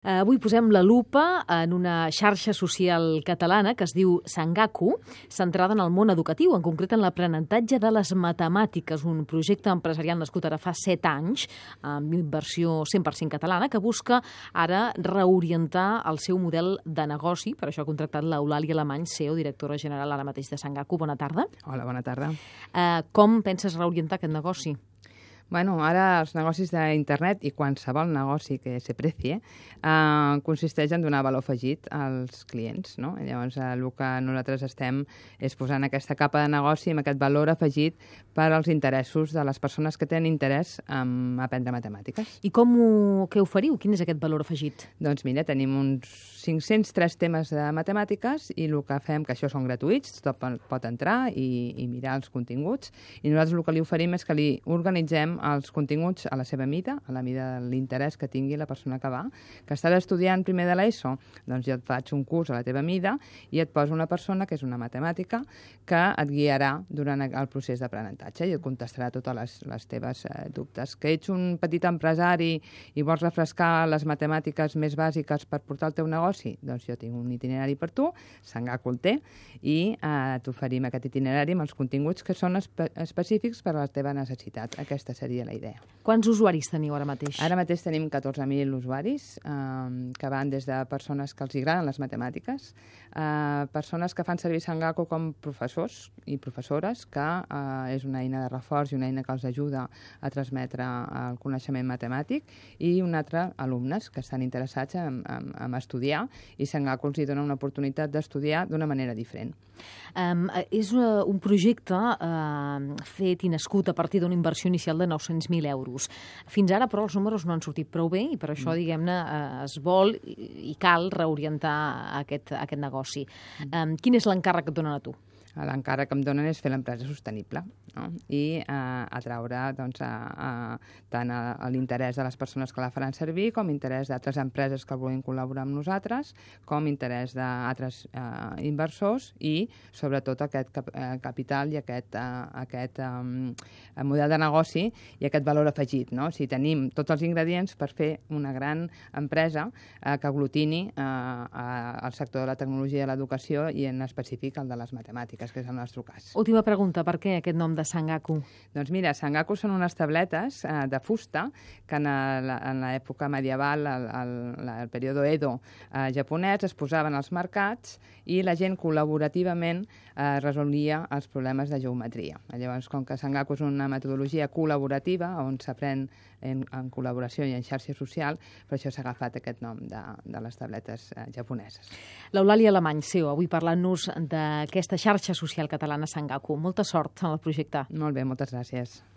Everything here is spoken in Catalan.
Avui posem la lupa en una xarxa social catalana que es diu Sangaku, centrada en el món educatiu, en concret en l'aprenentatge de les matemàtiques, un projecte empresarial nascut ara fa 7 anys, amb inversió 100% catalana, que busca ara reorientar el seu model de negoci. Per això ha contractat l'Eulàlia Alemany, CEO, directora general ara mateix de Sangaku. Bona tarda. Hola, bona tarda. Com penses reorientar aquest negoci? Bueno, ara els negocis d'internet i qualsevol negoci que se precie consisteix en donar valor afegit als clients, no? Llavors, el que nosaltres estem és posant aquesta capa de negoci amb aquest valor afegit per als interessos de les persones que tenen interès en aprendre matemàtiques. I què oferiu? Quin és aquest valor afegit? Doncs mira, tenim uns 503 temes de matemàtiques i el que fem, que això són gratuïts, tothom pot entrar i mirar els continguts, i nosaltres el que li oferim és que li organitzem els continguts a la seva mida, a la mida de l'interès que tingui la persona que va. Que estàs estudiant primer de l'ESO? Doncs jo et faig un curs a la teva mida i et poso una persona que és una matemàtica que et guiarà durant el procés d'aprenentatge i et contestarà totes les teves dubtes. Que ets un petit empresari i vols refrescar les matemàtiques més bàsiques per portar el teu negoci? Doncs jo tinc un itinerari per tu, Sangaku el té, i t'oferim aquest itinerari amb els continguts que són específics per a la teva necessitat. Aquesta seria la idea. Quants usuaris teniu ara mateix? Ara mateix tenim 14.000 usuaris que van des de persones que els agraden les matemàtiques, persones que fan servir Sangaku com professors i professores, que és una eina de reforç i una eina que els ajuda a transmetre el coneixement matemàtic, i un altre, alumnes que estan interessats en estudiar, i Sangaku els dona una oportunitat d'estudiar d'una manera diferent. És un projecte fet i nascut a partir d'una inversió inicial de 900.000 euros. Fins ara, però, els números no han sortit prou bé i per això, diguem-ne, es vol i cal reorientar aquest negoci. Quin és l'encàrrec que et donen a tu? L'encàrrec que em donen és fer l'empresa sostenible, no? I atraure tant l'interès de les persones que la faran servir, com interès d'altres empreses que vulguin col·laborar amb nosaltres, com interès d'altres inversors i, sobretot, aquest capital i aquest model de negoci i aquest valor afegit, no? O sigui, tenim tots els ingredients per fer una gran empresa que aglutini el sector de la tecnologia i l'educació, i en específic el de les matemàtiques, que és el nostre cas. Última pregunta, per què aquest nom de Sangaku? Doncs mira, Sangaku són unes tabletes de fusta que en l'època medieval, el període Edo japonès, es posaven als mercats i la gent col·laborativament resolia els problemes de geometria. Llavors, com que Sangaku és una metodologia col·laborativa on s'aprèn en col·laboració i en xarxa social, per això s'ha agafat aquest nom de les tabletes japoneses. L'Eulàlia Alemany, CEO, avui parlant-nos d'aquesta xarxa social catalana Sangaku. Molta sort en el projecte. Molt bé, moltes gràcies.